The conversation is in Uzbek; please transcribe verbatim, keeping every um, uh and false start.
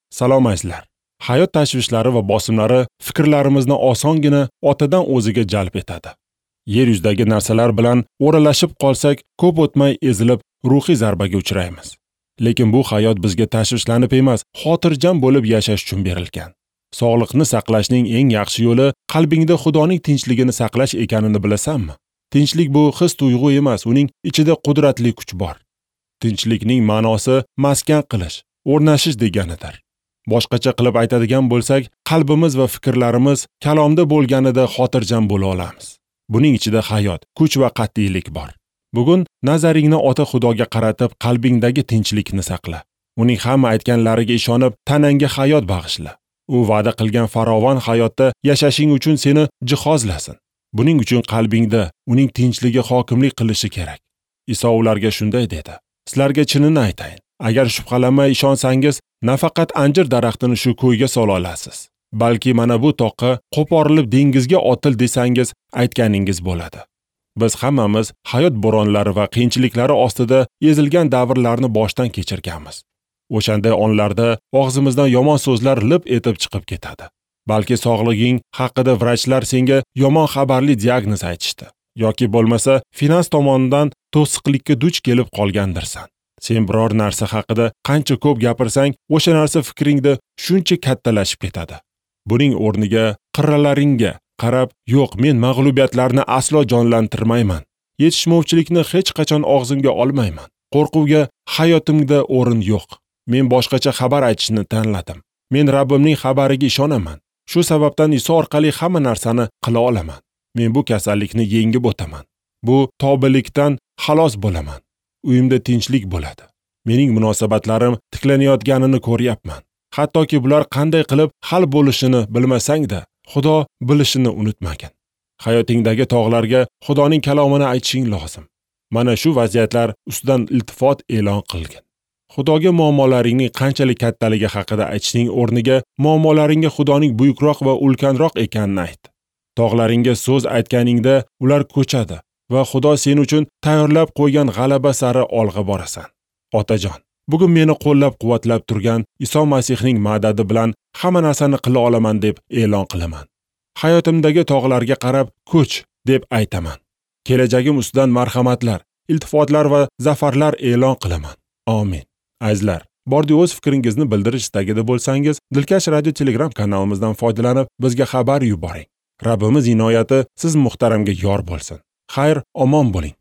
Salom azizlar. Hayot tashvishlari va bosimlari fikrlarimizni osongina otadan o'ziga jalb etadi. Yer yuzidagi narsalar bilan o'ralashib qolsak, ko'p o'tmay ezilib, ruhiy zarbaga uchraymiz. Lekin bu hayot bizga tashvishlanib emas, xotirjam bo'lib yashash uchun berilgan. Sog'liqni saqlashning eng yaxshi yo'li qalbingda Xudoning tinchligini saqlash ekanini bilasanmi? Tinchlik bu his tuyg'u emas, uning ichida qudratli kuch bor. Tinchlikning ma'nosi maskan qilish, o'rnashish deganidir. Boshqacha qilib aytadigan bo'lsak, qalbimiz va fikrlarimiz kalomda bo'lganida xotirjam bo'la olamiz. Buning ichida hayot, kuch va qat'iylik bor. Bugun nazaringni Ota Xudoga qaratib, qalbingdagi tinchlikni saqla. Uning hamma aytganlariga ishonib, tanangga hayot bag'ishla. U va'da qilgan farovon hayotda yashashing uchun seni jihozlasin. Buning uchun qalbingda uning tinchligi hokimlik qilishi kerak. Iso ularga shunday dedi: Sizlarga chinini aytayin, agar shubhalanmay ishonsangiz, nafaqat anjir daraxtini shu ko'yga sola olasiz, balki mana bu toqqa qo'porilib dengizga otil desangiz, aytganingiz bo'ladi. Biz hammamiz hayot bo'ronlari va qiyinchiliklari ostida ezilgan davrlarni boshdan kechirganmiz. O'shanday onlarda og'zimizdan yomon so'zlar lip etib chiqib ketadi. Balki sog'lig'ing haqida vrachlar senga yomon xabarli diagnoz aytishdi yoki bo'lmasa finans tomonidan to'siqlikka duch kelib qolgandirsan. Sen biror narsa haqida qancha ko'p gapirsang, o'sha narsa fikringda shuncha kattalashib ketadi. Buning o'rniga qirralaringga qarab, yo'q, men mag'lubiyatlarni aslo jonlantirmayman. Yetishmovchilikni hech qachon og'zimga olmayman. Qo'rquvga hayotimda o'rin yo'q. Men boshqacha xabar aytishni tanladim. Men Rabbimning xabariga ishonaman. Shu sababdan Iso orqali hamma narsani qila olaman. Men bu kasallikni yengib o'taman. Bu tobilikdan xalos bo'laman. Uyimda tinchlik bo'ladi. Mening munosabatlarim tiklanayotganini ko'ryapman. Hattoki bular qanday qilib hal bo'lishini bilmasang-da, Xudo bilishini unutmagin. Hayotingdagi tog'larga Xudoning kalomini aytishing lozim. Mana shu vaziyatlar ustidan iltifot e'lon qilgin. Xudoga muammolaringning qanchalik kattaligi haqida aytishning o'rniga muammolaringga Xudoning buyukroq va ulkanroq ekanini ayt. Tog'laringga so'z aytganingda ular ko'chadi va Xudo sen uchun tayyorlab qo'ygan g'alaba sari olg'a borasan. Otajon, bugun meni qo'llab-quvvatlab turgan Iso Masihning madadi bilan hamma narsani qila olaman deb e'lon qilaman. Hayotimdagi tog'larga qarab ko'ch deb aytaman. Kelajagim ustidan marhamatlar, iltifotlar va zafarlar e'lon qilaman. Amin. Azizlar, bordi o'z fikringizni bildirish istagida bo'lsangiz, Dilkash Radio Telegram kanalimizdan foydalanib bizga xabar yuboring. Rabbimiz inoyati siz muhtaramga yor bo'lsin. Xayr, omon bo'ling.